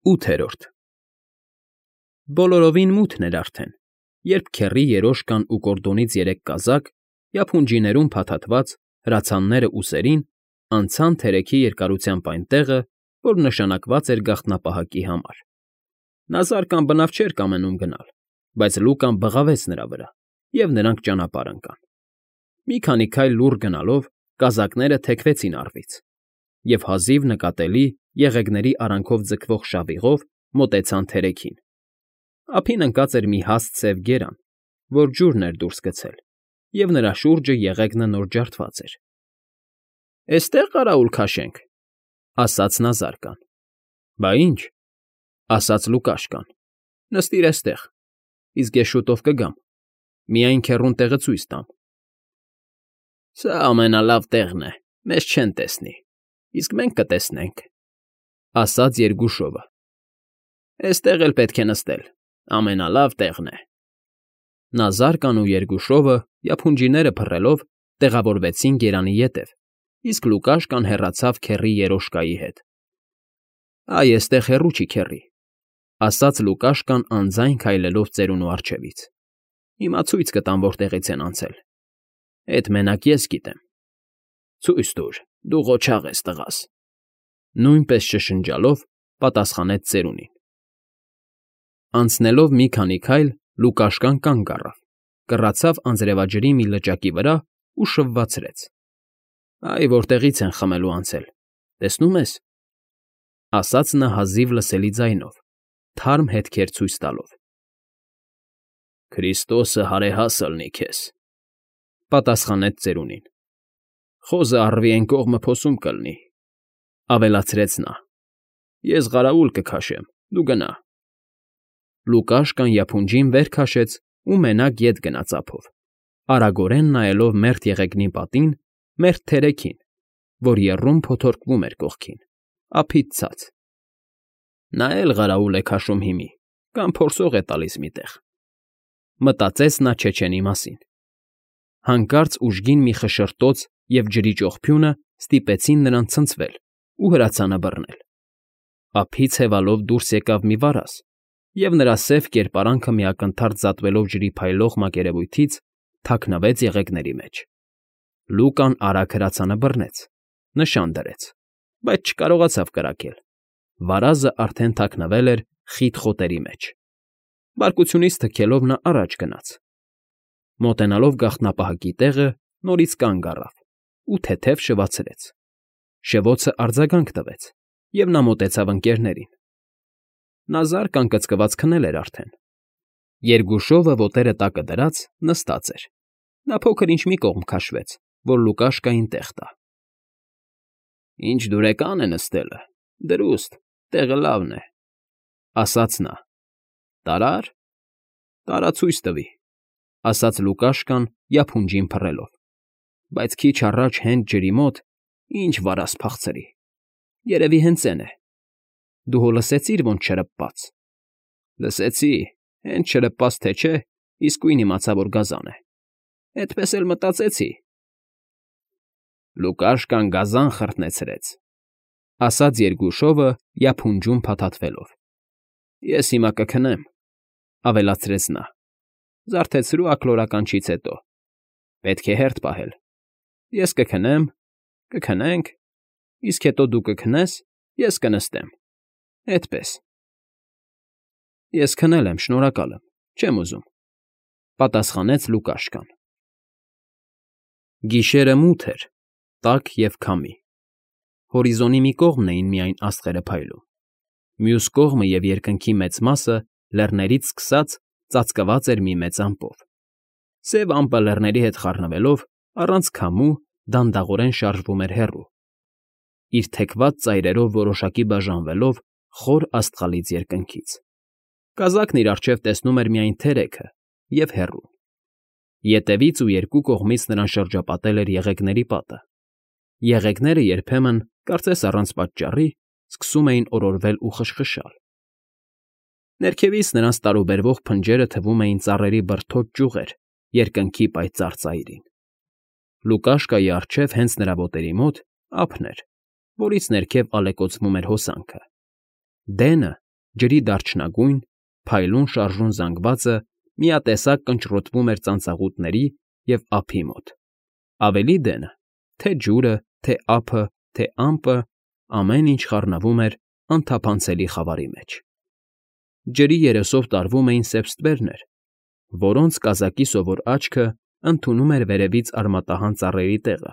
8-րդ Բոլորովին մութն էր արդեն, երբ քեռի երոշկան ու կորդոնից 3 կազակ, յափունջիներում փաթաթված, հրացանները ուսերին, անցան թերեքի երկարությամբ այն տեղը, որ նշանակված էր գաղտնապահակի համար. նա զառկան բնավ չէր կամենում գնալ, բայց Լուկան բղավեց նրա վրա, և նրանք ճանապարհ ընկան. մի քանի քայլ լուռ գնալով կազակները թեքվեցին առվից, և հազիվ նկատելի եղեգների արանքով ձգվող շավիղով մոտեցան թերեքին. ափին ընկած էր մի հաստ սև գերան, որ ջուրն էր դուրս գցել, և նրա շուրջը եղեգնը նոր ջարդված էր։ ֊ Էստե՞ղ կարաուլ քաշենք,֊ ասաց նա զարկան։ ֊ Բա ի՞նչ,֊ ասաց Լուկաշկան,֊ նստիր էստեղ, իսկ ես շուտով կգամ, միայն քեռուն տեղը ցույց տամ։ ֊ Սա ամենալավ տեղն է, մեզ չեն տեսնի, իսկ մենք կտեսնենք,֊ ասաց Երգուշովը։ ֊ Էստեղ էլ պետք է նստել, ամենալավ տեղն է։ Նա զարկան ու Երգուշովը, յափունջիները փռելով, տեղավորվեցին գերանի ետև, իսկ Լուկաշկան հեռացավ քեռի երոշկայի հետ։ ֊ Այ էստեղ հեռու չի, քեռի,֊ ասաց Լուկաշկան անձայն քայլելով ծերունու առջևից։ ֊ Հիմա ցույց կտամ որտեղից են անցել։ Էդ մենակ ես գիտեմ։ ֊ Ցույց տուր, դու ղոչաղ ես, տղաս,֊ նույնպես շշնջալով պատասխանեց ծերունին։ Անցնելով մի քանի քայլ Լուկաշկան կանգ առավ, կռացավ անձրևաջրի մի լճակի վրա ու շվվացրեց։ ֊ Այ որտեղից են խմելու անցել, տեսնո՞ւմ ես,֊ ասաց նա հազիվ լսելի ձայնով, թարմ հետքեր ցույց տալով։ ֊ Քրիստոսը հարեհաս ըլնի քեզ,֊ պատասխանեց ծերունին։ ֊ Խոզը առվի էն կողմը փոսում կլնի,֊ ավելացրեց նա։ ֊ Ես ղարաուլ կքաշեմ, դու գնա։ Լուկաշկան յափունջին վեր քաշեց ու մենակ ետ գնաց ափով, արագորեն նայելով մերթ եղեգնի պատին, մերթ թերեքին, որ եռում փոթորկվում էր կողքին, ափից ցած։ Նա էլ ղարաուլ է քաշում հիմի, կամ փորձող է տալիս մի տեղ,֊ մտածեց նա չեչենի մասին։ Հանկարծ ուժգին մի խշշրտոց և ջրի ճողփյունը ստիպեցին նրան ցնցվել ու հրացանը բռնել։ Ափից հևալով դուրս եկավ մի վարազ, և նրա սև կերպարանքը մի ակնթարթ զատվելով ջրի փայլող մակերևույթից, թաքնվեց եղեգների մեջ։ Լուկան արագ հրացանը բռնեց, նշան դրեց, բայց չկարողացավ կրակել. վարազը արդեն թաքնվել էր խիտ խոտերի մեջ։ Բարկությունից թքելով նա առաջ գնաց։ Մոտենալով գաղտնապահակի տեղը, նորից կանգ առավ ու թեթև շվացրեց։ Շվոցը արձագանք տվեց, և նա մոտեցավ ընկներներին։ Նա զարկ անկծկված քնել էր արդեն։ Երգուշովը, ոտերը տակը դրած, նստած էր։ Նա փոքր֊ինչ մի կողմ քաշվեց, որ Լուկաշկային տեղ տա։ ֊ Ինչ դուրեկան է նստելը, դրուստ, տեղը լավն է,֊ ասաց նա։ ֊ Տարա՞ր։ ֊ Տարա ցույց տվի,֊ ասաց Լուկաշկան յափունջին փռելով,֊ բայց քիչ առաջ հենց ջրի մոտ ինչ վարազ փախցրի, երևի հենց էն է։ Դու հո լսեցի՞ր ոնց չրպպաց։ ֊ Լսեցի, հենց չրպպաց թե չէ, իսկույն իմացա, որ գազան է։ Էդպես էլ մտածեցի։ ֊ Լուկաշկան գազան խրտնեցրեց,֊ ասաց Երգուշովը յափունջում փաթաթվելով։ ֊ Ես հիմա կքնեմ,֊ ավելացրեց նա,֊ զարթեցրու աքլորականչից հետո։ Պետք է հերթ պահել։ Ես կքնեմ, կքնենք, իսկ հետո դու կքնես, ես կնստեմ, էդպես։ ֊ Ես քնել եմ, շնորհակալ եմ, չեմ ուզում,֊ պատասխանեց Լուկաշկան։ Գիշերը մութ էր, տաք և քամի։ Հորիզոնի մի կողմն էին միայն աստղերը փայլում, մյուս կողմը և երկնքի մեծ մասը լեռներից սկսած ծածկված էր մի մեծ ամպով։ Սև ամպը լեռների հետ խառնվելով, առանց քամու, դանդաղորեն շարժվում էր հեռու, իր թեքված ծայրերով որոշակի բաժանվելով խոր աստղալից երկնքից։ Կազակն իր առջև տեսնում էր միայն թերեքը և հեռուն։ Ետևից ու երկու կողմից նրան շրջապատել էր եղեգների պատը։ Եղեգները երբեմն, կարծես առանց պատճառի, սկսում էին օրորվել ու խշխշալ։ Ներքևից նրանց տարուբերվող փնջերը թվում էին ծառերի բրդոտ ճյուղեր երկնքի պայծառ ծայրին։ Լուկաշկայի առջև, հենց նրա ոտերի մոտ, ափն էր, որից ներքև ալեկոծվում էր հոսանքը։ Դենը, ջրի դարչնագույն, փայլուն շարժուն զանգվածը միատեսակ կնճռոտվում էր ծանծաղուտների և ափի մոտ, ավելի դենը, թե ջուրը, թե ափը, թե ամպը, ամեն ինչ խառնվում էր անթափանցելի խավարի մեջ։ Ջրի երեսով տարվում էին սև ստվերներ, որոնց կազակի սովոր աչքը ընդունում էր վերևից արմատահան ծառերի տեղը,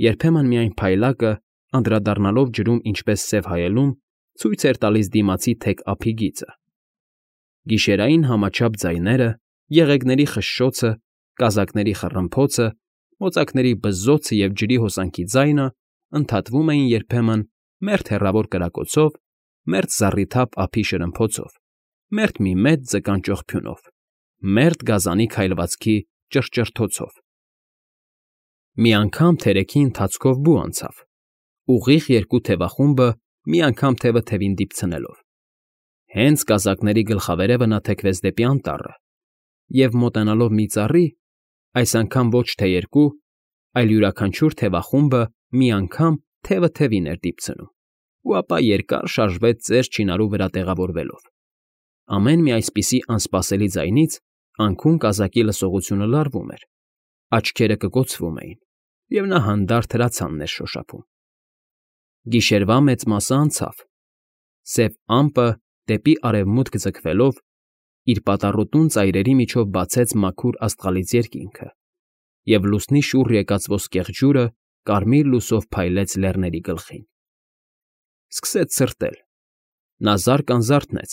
երբեմն միայն փայլակը, անդրադառնալով ջրում ինչպես սև հայելուն, ցույց էր տալիս դիմացի թեք ափի գիծը։ Գիշերային համաչափ ձայները, եղեգների խշշոցը, կազակների խռմփոցը, մոծակների բզզոցը և ջրի հոսանքի ձայնը ընդհատվում էին երբեմն մերթ հեռավոր կրակոցով, մերթ զառիթափ ափի շրմփոցով, մերթ մի մեծ ձկան ճողփյունով, մերթ գազանի քայլվածքի ճռճռթոցով։ Մի անգամ թերեքի ընթացքով բու անցավ, ուղիղ երկու թևախումբը մի անգամ թևը թևին դիպցնելով։ Հենց կազակների գլխավերևը նա թեքվեց դեպի անտառը և, մոտենալով մի ծառի, այս անգամ ոչ թե երկու, այլ յուրաքանչյուր թևախումբը մի անգամ թևը թևին էր դիպցնում ու ապա երկար շարժվեց ծեր չինարու վրա տեղավորվելով։ Ամեն մի այսպիսի անսպասելի ձայնից անքուն կազակի լսողությունը լարվում էր, աչքերը կկոցվում էին, և նա հանդարտ հրացանն էր շոշափում։ Գիշերվա մեծ մասը անցավ, սև ամպը դեպի արևմուտք ձգվելով իր պատառոտուն ծայրերի միջով բացեց մաքուր աստղալից երկինքը, և լուսնի շուռ եկած ոսկեղ ջուրը կարմիր լուսով փայլեց լեռների գլխին։ Սկսեց սրտել։ Նա զարկ անձրևնեց,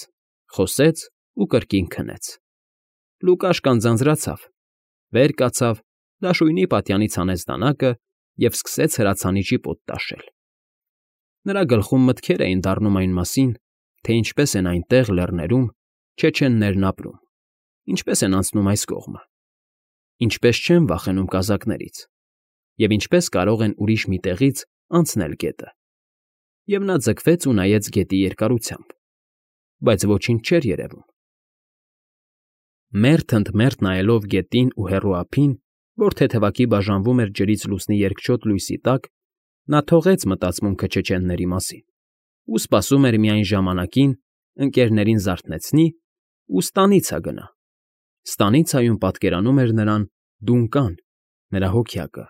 խոսեց ու կրկին քնեց։ Լուկաշկան ձանձրացավ, վեր կացավ, դաշույնի պատյանից հանեց դանակը և սկսեց հրացանի ճիպոտ տաշել։ Նրա գլխում մտքեր էին դառնում այն մասին, թե ինչպես են այնտեղ, լեռներում, չեչեններն ապրում, ինչպես են անցնում այս կողմը, ինչպես չեն վախենում կազակներից և ինչպես կարող են ուրիշ մի տեղից անցնել գետը։ Եվ նա ձգվեց ու նայեց գետի երկարությամբ, բայց ոչինչ չէր երևում։ Մերթ ընդ մերթ նայելով գետին ու հեռու ափին, որ թեթևակի բաժանվում էր ջրից լուսնի երկչոտ լույսի տակ, նա թողեց մտածմունքը չեչենների մասին ու սպասում էր միայն ժամանակին ընկներներին զարթնեցնի ու ստանիցա գնա։ Ստանիցայում պատկերանում էր նրան Դունկան, նրա հոգյակը,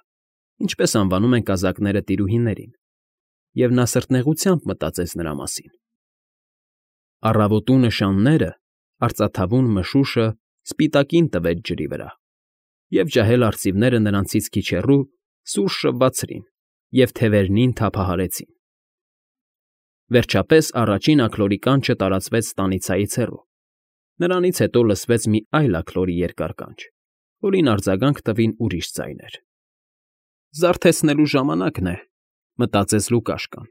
ինչպես անվանում են կազակները տիրուհիներին, և նա սրտնեղությամբ մտածեց նրա մասին։ Առավոտու նշանները, արծաթավուն մշուշը սպիտակին տվեց ջրի վրա, և ջահել արծիվները նրանցից քիչ հեռու սուր շվվացրին և թևերնին թափահարեցին։ Վերջապես առաջին աքլորի կանչը տարածվեց ստանիցայից հեռու։ Նրանից հետո լսվեց մի այլ աքլորի երկար կանչ, որին արձագանք տվին ուրիշ ձայներ։ «Զարթեցնելու ժամանակն է», մտածեց Լուկաշկան,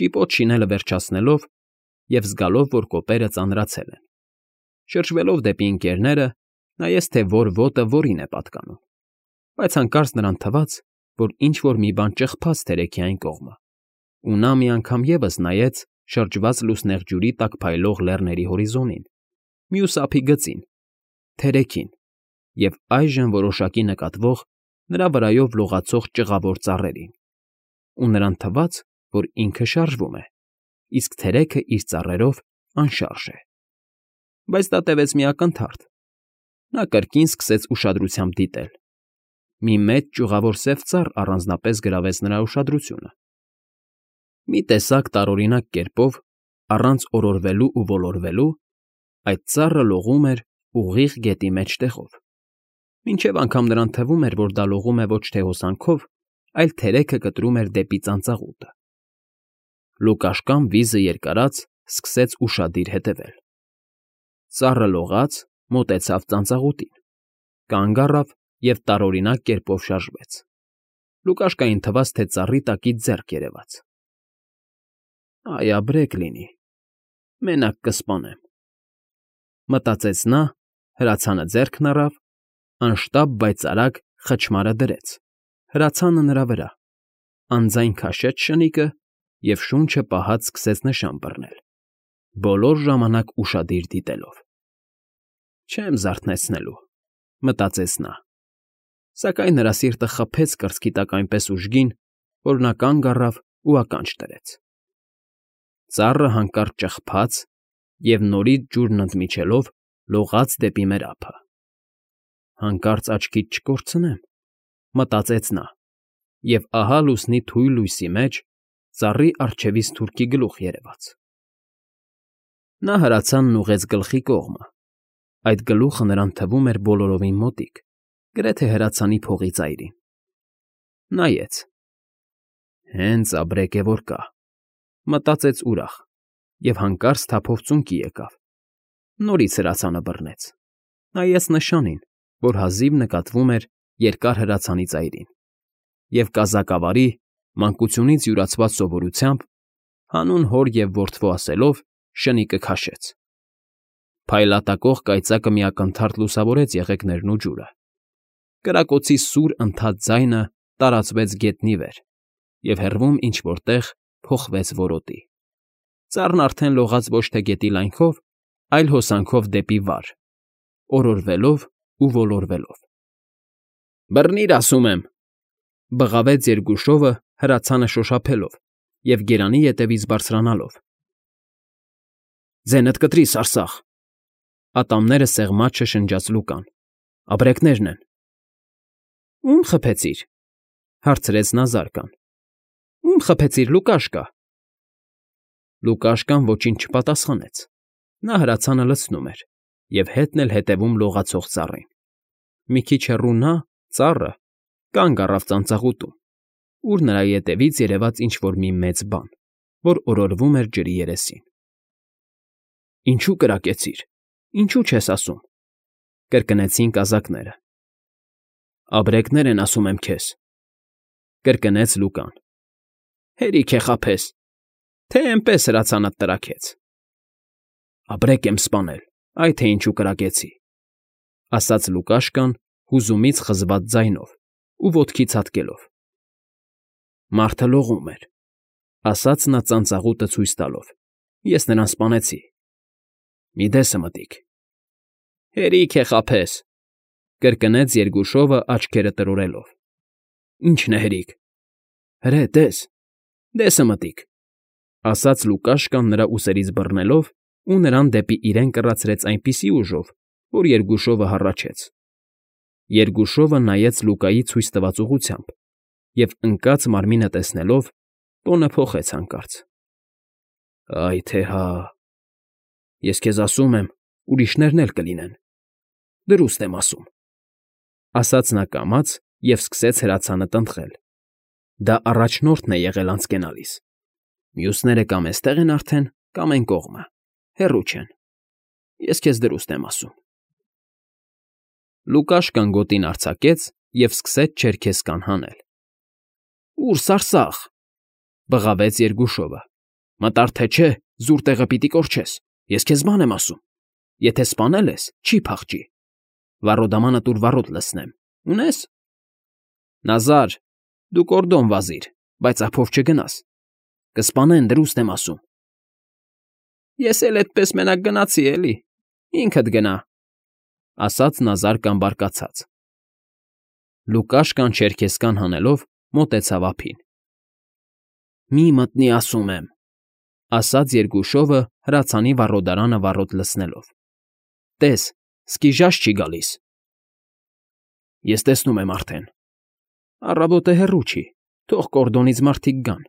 ճիպոտ շինելը վերջացնելով և զգալով, որ կոպերը ծանրացել են։ Շրջվելով դեպի ընկներները, նայեց, թե որ ոտը որին է պատկանում, բայց հանկարծ նրան թվաց, որ ինչ֊որ մի բան ճխփաց թերեքի այն կողմը, ու նա մի անգամ ևս նայեց շրջված լուսնեղ ջուրի տակ փայլող լեռների հորիզոնին, մյուս ափի գծին, թերեքին և այժմ որոշակի նկատվող նրա վրայով լողացող ճղավոր ծառերին, ու նրան թվաց, որ ինքը շարժվում է, իսկ թերեքը իր ծառերով անշարժ է։ Բայց դա տևեց մի ակնթարթ։ Նա կրկին սկսեց ուշադրությամբ դիտել։ Մի մեծ ճյուղավոր սև ծառ առանձնապես գրավեց նրա ուշադրությունը։ Մի տեսակ տարօրինակ կերպով, առանց օրորվելու ու ոլորվելու, այդ ծառը լողում էր ուղիղ գետի մեջտեղով, մինչև անգամ նրան թվում էր, որ դա լողում է ոչ թե հոսանքով, այլ թերեքը կտրում էր դեպի ծանծաղուտը։ Լուկաշկան վիզը երկարած սկսեց ուշադիր հետևել։ Ծառը լողաց, մոտեցավ ծանծաղուտին, կանգ առավ և տարօրինակ կերպով շարժվեց։ Լուկաշկային թվաց, թե ծառի տակից ձեռք երևաց։ «Այ ապրեք լինի, մենակ կսպանեմ», մտածեց նա, հրացանը ձեռքն առավ, անշտապ, բայց արագ խչմարը դրեց, հրացանը նրա վրա, անձայն քաշեց շնիկը և շունչը պահած սկսեց նշան բռնել, բոլոր ժամանակ ուշադիր դիտելով։ «Չեմ զարթնեցնելու», մտածեց նա, սակայն նրա սիրտը խփեց կրծքի տակ այնպես ուժգին, որ նա կանգ առավ ու ականջ դրեց։ Ծառը հանկարծ ճխփաց և նորից ջուրն ընդմիջելով լողաց դեպի մեր ափը։ «Հանկարծ աչքից չկորցնեմ», մտածեց նա, և ահա լուսնի թույլ լույսի մեջ ծառի առջևից թուրքի գլուխ երևաց։ Նա հրացանն ուղղեց գլխի կողմը։ Այդ գլուխը նրան թվում էր բոլորովին մոտիկ, գրեթե հրացանի փողի ծայրին։ Նայեց. «Հենց ապրեք է որ կա», մտածեց ուրախ, և հանկարծ թափով ծունկի եկավ։ Նորից հրացանը բռնեց։ Նայեց նշանին, որ հազիվ նկատվում էր երկար հրացանի ծայրին, և կազակավարի, մանկությունից յուրացված սովորությամբ, հանուն հոր և որդվո ասելով, շնիկը քաշեց։ Փայլատակող կայծակը մի ակնթարթ լուսավորեց եղեգներն ու ջուրը։ Կրակոցի սուր ընդհատ ձայնը տարածվեց գետնի վեր, և հեռվում ինչ֊որ տեղ փոխվեց որոտի։ Ծառն արդեն լողաց ոչ թե գետի լայնքով, այլ հոսանքով դեպի վար, օրորվելով ու ոլորվելով։ «Բռնի՛ր, ասում եմ,֊ բղավեց երկուշովը հրացանը շոշափելով և գերանի ետևից բարձրանալով։ «Ձենդ կտրի, սարսափ…֊ ատամները սեղմած շշնջաց Լուկան։֊ Ապրեկներն են»։ «Ո՞ւմ խփեցիր,֊ հարցրեց նա զարկան։֊ Ո՞ւմ խփեցիր, Լուկաշկա»։ Լուկաշկան ոչինչ չպատասխանեց։ Նա հրացանը լցնում էր և հետն էլ հետևում լողացող ծառին։ Մի քիչ հեռու նա, ծառը, կանգ առավ ծանծաղուտում, ուր նրա ետևից երևաց ինչ֊որ մի մեծ բան, որ օրորվում էր ջրի երեսին։ «Ինչո՞ւ կրակեցիր, ինչո՞ւ չես ասում,֊ կրկնեցին կազակները։ «Ապրեկներ են, ասում եմ քեզ,֊ կրկնեց Լուկան։ Հերիք է խաբես, թե էնպես հրացանդ տրաքեց»։ «Ապրեք եմ սպանել, այ թե ինչու կրակեցի,֊ ասաց Լուկաշկան հուզումից խզված ձայնով ու ոտքի ցատկելով։ «Մարդը լողում էր,֊ ասաց նա ծանծաղուտը ցույց տալով։֊ Ես նրան սպանեցի։ Մի դեսը մտիկ»։ «Հերիք է խաբես,֊ կրկնեց երկուշովը աչքերը տրորելով։ «Ի՞նչն է հերիք»։ «Հրե, տես, դեսը մտիկ», ասաց Լուկաշկան նրա ուսերից բռնելով ու նրան դեպի իրեն կռացրեց այնպիսի ուժով, որ երկուշովը հառաչեց։ Երկուշովը նայեց Լուկայի ցույց տված ուղղությամբ և, ընկած մարմինը տեսնելով, տոնը փոխեց հանկարծ։ «Այ թե հա… Ես քեզ ասում եմ, ուրիշներն էլ կլինեն, դրուստ եմ ասում,֊ ասաց նա կամաց և սկսեց հրացանը տնտղել։ Դա առաջնորդն է եղել անցկենալիս։ Մյուսները կամ էստեղ են արդեն, կամ էն կողմը, հեռու չեն։ Ես քեզ դրուստ եմ ասում»։ Լուկաշկան գոտին արձակեց և սկսեց չերքեզկան հանել։ «Ո՞ւր, սարսափ…֊ բղավեց երկուշովը։֊ Մտար թե չէ, զուր տեղը պիտի կորչես։ Ես քեզ բան եմ ասում. եթե սպանել ես, չի փախչի։ Վառոդամանը տուր վառոդ լցնեմ։ Ունե՞ս»։ «Նազար, դու կորդոն վազիր, բայց ափով չգնաս։ Կսպանեն, դրուստ եմ ասում»։ «Ես էլ էդպես մենակ գնացի, էլի, ինքդ գնա,֊ ասաց նա զարկան բարկացած։ Լուկաշկան չերքեզկան հանելով մոտեցավ ափին։ «Մի մտնի, ասում եմ,֊ ասաց երկուշովը հրացանի վառոդարանը վառոդ լցնելով։֊ Տես, սկիժաշ չի գալիս»։ «Ես տեսնում եմ արդեն։ Առավոտը հեռու չի, թող կորդոնից մարդիկ գան»։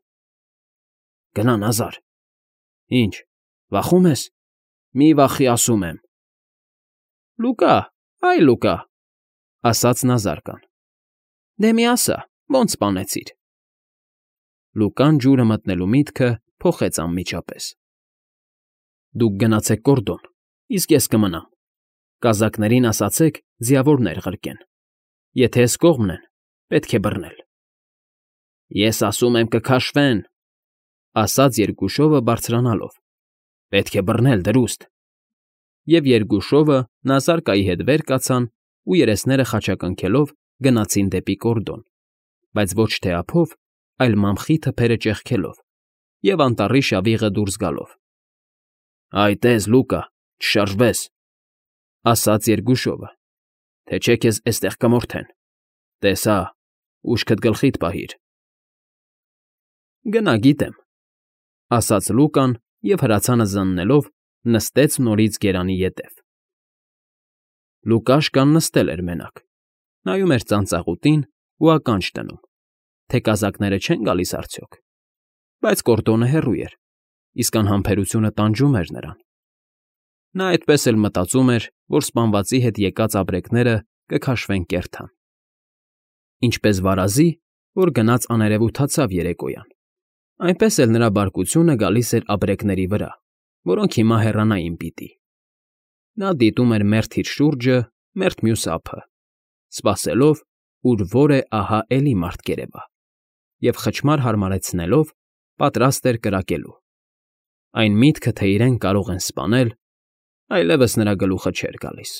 «Գնա, Նազար»։ «Ի՞նչ, վախում ես»։ «Մի վախի, ասում եմ»։ «Լուկա, այ Լուկա…֊ ասաց նա զարկան։֊ Դե մի ասա, ո՞նց սպանեցիր»։ Լուկան ջուրը մտնելու միտքը փոխեց անմիջապես։ «Դուք գնացեք կորդոն, իսկ ես կմնամ։ Կազակներին ասացեք ձիավորներ ղրկեն։ Եթե էս կողմն են, պետք է բռնել»։ «Ես ասում եմ կքաշվեն,֊ ասաց երկուշովը բարձրանալով։֊ Պետք է բռնել, դրուստ»։ Եվ երկուշովը Նազարկայի հետ վեր կացան ու երեսները խաչակնքելով գնացին դեպի կորդոն, բայց ոչ թե ափով, այլ մամխի թփերը ճեղքելով և անտառի շավիղը դուրս գալով։ «Այ տես, Լուկա, չշարժվես,֊ ասաց երկուշովը,֊ թե չէ քեզ էստեղ կմորթեն։ Տես հա, ուշքդ գլխիդ պահիր»։ «Գնա, գիտեմ,֊ ասաց Լուկան և հրացանը զննելով նստեց նորից գերանի ետև։ Լուկաշկան նստել էր մենակ, նայում էր ծանծաղուտին ու ականջ դնում, թե կազակները չեն գալիս արդյոք, բայց Կորտոնը հեռու էր, իսկ անհամբերությունը տանջում էր նրան։ Նա այդպես էլ մտածում էր, որ սպանվածի հետ եկած ապրեկները կքաշվեն կեռթան։ Ինչպես վարազի, որ գնաց աներևութացավ երեկոյան, այնպես էլ նրա բարկությունը գալիս էր ապրեկների վրա, որոնք հիմա հեռանային պիտի։ Նա դիտում էր մերթ իր շուրջը, մերթ մյուս ափը, սպասելով, ուր որ է ահա էլի մարդ կերևա, և խչմար հարմարեցնելով, պատրաստ էր կրակելու։ Այն միտքը, թե իրեն կարող են սպանել, այլևս նրա գլուխը չէր գալիս։